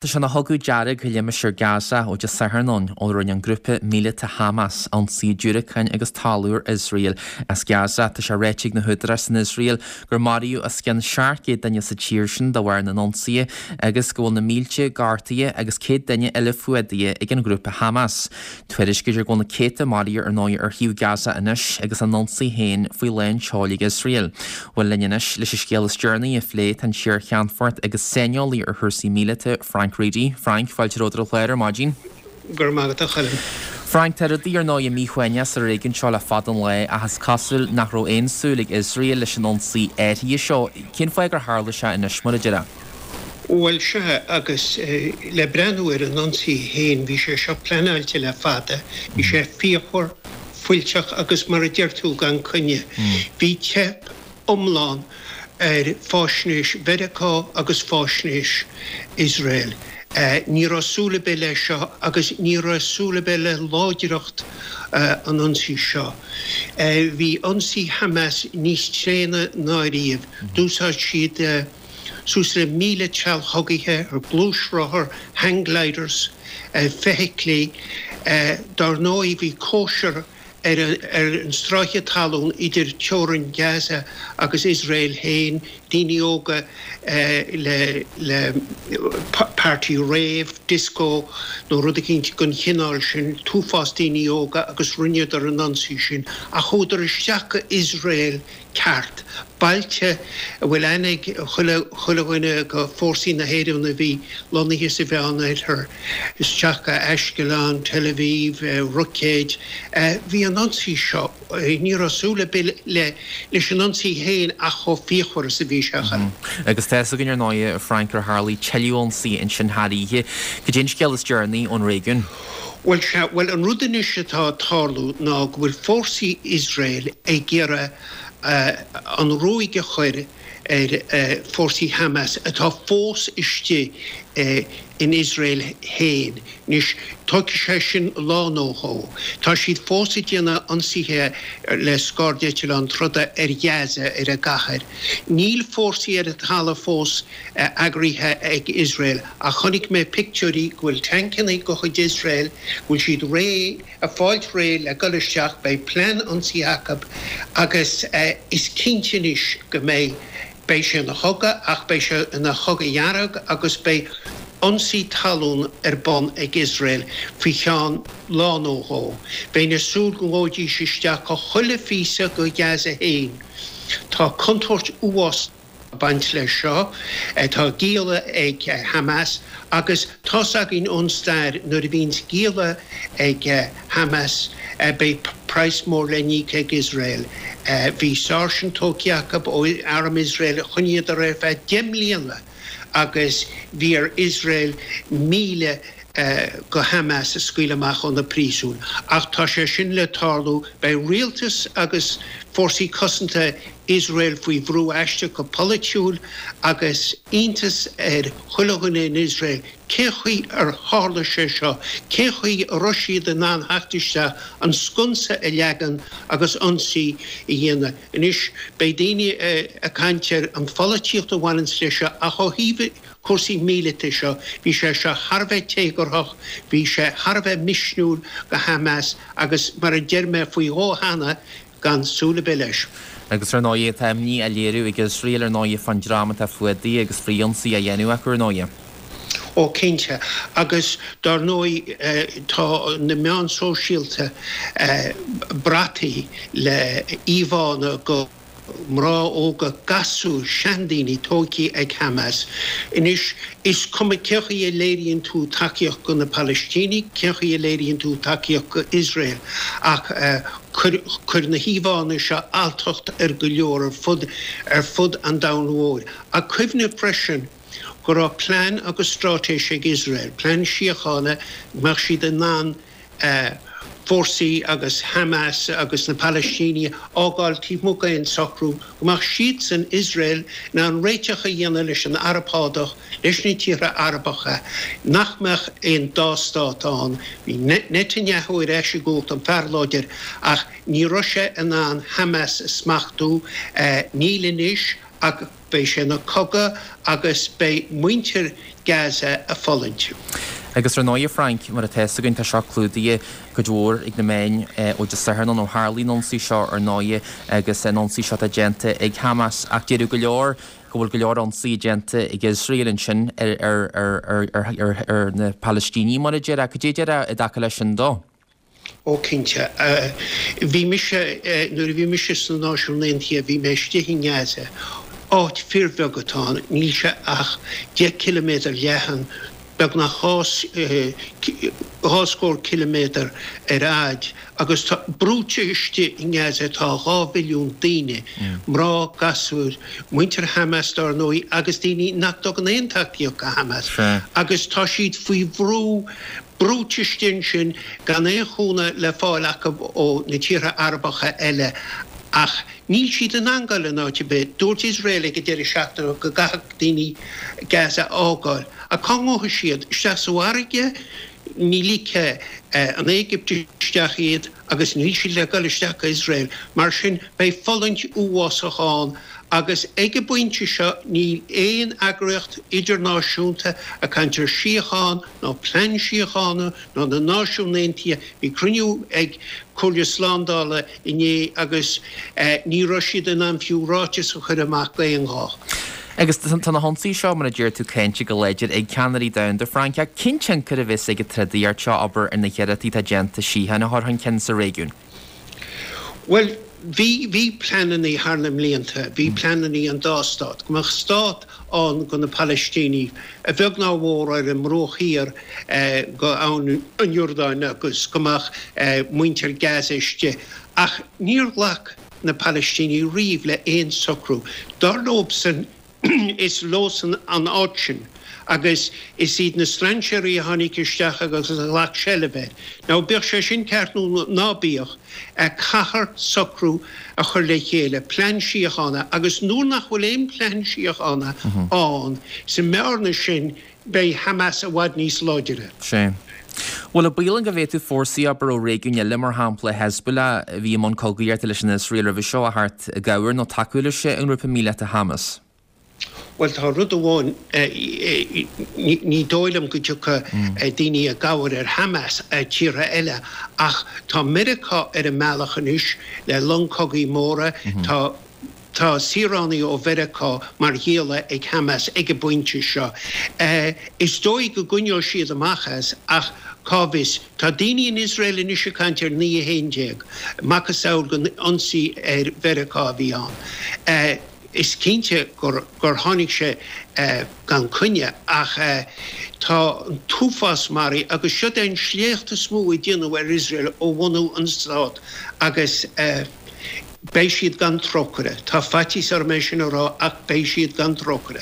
Tá sé ina chogadh dearg i limistéar Gaza ó Dé Sathairn ann ó rinne an grúpa míleata Hamas ionsaí diúracáin agus talún ar Iosrael as Gaza. Tá sé ráite ag na húdaráis san Iosrael gur maraíodh os cionn 700 duine sa tír sin de bharr na n-ionsaithe agus go bhfuil na mílte gortaithe agus 100 duine eile fuadaithe ag an ghrúpa Hamas. Tuairiscítear go bhfuil na céadta maraithe ar ndóigh ar thaobh Gaza anois agus a n-ionsaí féin faoi lán tseoil ag Iosrael. Bhuel linn anois leis an scéal is deireanaí a phlé tá an t-iar-cheannfort agus saineolaí ar chúrsaí míleata Frank Reidy. Frank, fáilte romhat ar an chlár ar maidin. Go raibh maith agat a Choilm. Frank, tá rudaí ar ndóigh míshuaimhneach sa réigiún seo le fada an lá ach is cosúil nach raibh aon súil ag Iosrael leis an ionsaí áirithe seo. Cén fáth gur tharla sé anois mar a déarfá? Bhuel, sea, agus le breathnú ar an ionsaí féin, bhí sé seo pleanáilte le fada. Bhí sé fíochmhar, fuilteach agus, mar a deir tú, gan coinne. Bhí teip iomlán ar fáisnéis Mheiriceá agus fáisnéis Iosrael. Ní raibh súil ar bith leis seo agus ní raibh súil ar bith le láidreacht an ionsaí seo. Bhí ionsaí Hamas níos tréine ná riamh. D'úsáid siad. Suas le 1,000 trealamh chogaithe ar gluaisrothar, hang gliders, feithiclí. Dár ndóigh bhí cóisir ar an stráice talún idir teorainn Gaza agus Iosrael féin, daoine óga le le party rave, disco nó rud eicínt den chineál sin, t-uafás daoine óga agus rinneadar an ionsaí sin ach chuadar isteach go Iosrael ceart. Bailte a bhfuil aithne ag chuile chuile dhuine go fórsaí na hÉireann a bhí lonnaithe sa Mheánoirthear, isteach go Ashkelon, Tel Aviv, roicéid. Bhí an ionsaí seo, ní raibh súil ar bith le leis an ionsaí féin ach chomh fíochmhar is a bhí sé. Agus tá fhios againn ar ndóigh, a Frank, gur tharlaigh tuilleadh ionsaí ansin thar oíche. Cad é an scéal is deireanaí ón réigiún? Bhuel, sea, bhuel an rud anois atá ag tarlú ná go bhfuil fórsaí Iosrael ag iarraidh an ruaig a chur ar fórsaí Hamas atá fós istigh in Iosrael féin. Anois, tógfaidh sé sin lá nó dhó. Tá siad fós ag déanamh ionsaithe le scairdeitleáin troda ar Ghaza, ar an gcathair. Níl fórsaí ar an talamh fós eagraithe ag Iosrael ach chonaic mé pictiúirí go bhfuil tancannaí de chuid Iosrael, go bhfuil siad réidh, ag fáilt réidh le dul isteach, beidh plean ionsaithe acu agus is cinnte anois go mbeidh, beidh sé ina chogadh ach beidh sé ina chogadh dhearg agus beidh ionsaí talún ar bun ag Iosrael faoi cheann lá nó dhó. Bheinn ag súil go ngabhfaidís isteach go chuile phíosa go Gaza féin. Tá contúirt uafásach. ag baint leis seo. Tá gialla ag Hamas agus tá's againn ón stair nuair a bhíonns gialla ag Hamas beidh praghas mór le n-íoc ag Iosrael. Bhí sáirsint tógtha acu ó arm Iosrael, choinníodar ar feadh 10 mbliana agus bhí ar Iosrael 1,000 go Hamas a scaoileadh amach ó na príosúin. Ach tá sé sin le tarlú, beidh rialtas agus fórsaí cosanta Iosrael faoi bhrú aisteach go polaitiúil agus iontas ar chuile dhuine in Iosrael cén chaoi ar tharla sé seo, cén chaoi a raibh siad in ann theacht isteach, an sconsa a leagan agus ionsaí a dhéanamh. Anois, beidh daoine ag caint ar an pholaitíocht a bhaineanns leis seo ach ó thaobh cúrsaí míleata seo, bhí sé seo thar a bheith téagarthach, bhí sé thar a bheith misniúil go Hamas agus mar a deir mé faoi dhó cheana, gan súil ar bith leis. Agus ar ndóigh, tá imní á léiriú ag Iosrael ar ndóigh fán dream atá fuadaithe agus frith-ionsaí á dhéanamh acu ar ndóigh. Ó cinnte. Agus dár ndóigh tá na meáin sóisialta brataithe le íomhánna go. mná óga, gasúir, seandaoine tógtha ag Hamas. Anois, is cuma cén chaoi a léiríonn tú tacaíocht go na Palaistínigh, cén chaoi a léiríonn tú tacaíocht go Iosrael, ach chuir na híomhánna seo alltacht ar go leor ar fud ar fud an domhain mhóir. Ach cuimhnigh freisin go raibh plean agus straitéis ag Iosrael, plean síochána, go mbeadh siad in ann fórsaí agus Hamas agus na Palaistínigh a fhágáil taobh amuigh d'aon socrú, go mbeadh siadsan, Iosrael, in ann réiteach a dhéanamh leis an Araib Shádach, leis na tíortha Arabacha, nach mbeadh aon dá stát ann. Bhí Netanyahu ar ais i gcumhacht, an fear láidir, ach ní raibh sé in ann Hamas a smachtú. Níl anois ach. Beidh sé ina cogadh agus beidh muintir Gaza ag fulaingt. Agus ar ndóigh, a Frank, mar atá fhios againn, tá seo clúdaithe cuid mhór ag na meáin ó Dé Sathairn ann ó tharlaigh an ionsaí seo ar ndóigh agus an ionsaí seo atá déanta ag Hamas ach déarfadh go leor go bhfuil go leor ionsaí déanta ag Iosrael ansin ar na Palaistínigh mar a déarfá. Cad é a déarfá i dtaca leis sin dó? Ó cinnte. Bhí mise, nuair a bhí mise sna Náisiúin Aontaithe, bhí mé istigh i nGaza. Áit fíorbheag atá ann, níl sé ach 10 ciliméadar leathan, beagnach 2 scór ciliméadar ar fhaid, agus tá, brúite istigh i nGaza tá 2 mhilliún daoine, mná, gasúir, muintir Hamas dár ndóigh, agus daoine nach dtugann aon tacaíocht do Hamas, agus tá siad faoi bhrú. brúite istigh ansin gan aon chúnamh le fáil acu ó na tíortha Arabacha eile ach níl siad in ann dul in áit ar bith. Dúirt Iosrael ag an deireadh seachtaine go gcaithfeadh daoine Gaza a fhágáil. Ach cá ngabhfaidh siad? Isteach sa bhfarraige? Ní ligfidh an Éigipt isteach iad agus níl siad le dul isteach go Iosrael. Mar sin beidh fulaingt uafásach ann agus ag an bpointe seo níl aon eagraíocht idirnáisiúnta ag caint ar síocháin, ná plean síochána ná na Náisiúin Aontaithe. Bhí cruinniú ag Comhairle Slándála inné agus ní raibh siad in ann fiú ráiteas a chur amach d'aon ghuth. Agus tá na hionsaithe seo, mar a deir tú, cáinte go láidir ag ceannairí domhanda, Frank. Ach cén tionchar a bheas ag an trodaíocht seo, abair, ar na hiarrachtaí atá déanta síocháin a chur chun cinn sa réigiún? Bhuel, bhí, bhí pleanannaí thar na mblianta, bhí pleanannaí an dá stát, go mbeadh stát ann go na Palaistínigh, a bheag ná a mhór ar an mbruach thiar go abhainn an Iordáin agus go mbeadh muintir Gaza istigh. Ach níor ghlac na Palaistínigh riamh le aon socrú. Dar leobsan, Is leosan an áit sin agus is iad na strainséirí a tháinig isteach agus a ghlac seilbh air. Now, bíodh sé sin ceart nó ná bíodh, caithfear socrú a chur le chéile, plean síochána, agus nuair nach bhfuil aon plean síochána ann, sa mbearna sin, beidh Hamas i bhfad níos láidire. Sea. Bhuel, an baol ann go bhféadfadh fórsaí, abair, ó réigiúin eile, mar shampla Hezbollah, a bhí i mbun cogaíochta leis an Iosrael roimhe seo, a theacht i gcabhair nó tacú leis an ngrúpa míleata Hamas? Bhuel, tá rud amháin, ní dóigh liom go dtiocfaidh daoine i gcabhair ar Hamas, tíortha eile, ach tá Meiriceá ar an mbealach anois le long cogaidh móra, tá. Tá saoránaigh ó Mheiriceá mar ghialla ag Hamas ag an bpointe seo. Is dóigh go gcoinneoidh siad amach as, ach cá bhfios? Tá daoine in Iosrael anois ag caint ar 9:11, macasamhail den ionsaí ar Mheiriceá a bhí ann. Is cinnte gur tháinig sé gan coinne, ach tá an t-uafás maraithe agus siod é an sléacht is mó a déanadh ar Iosrael ó bhunú an stát agus. Beidh siad gan trócaire. Tá faitíos orm é sin a rá ach beidh siad gan trócaire.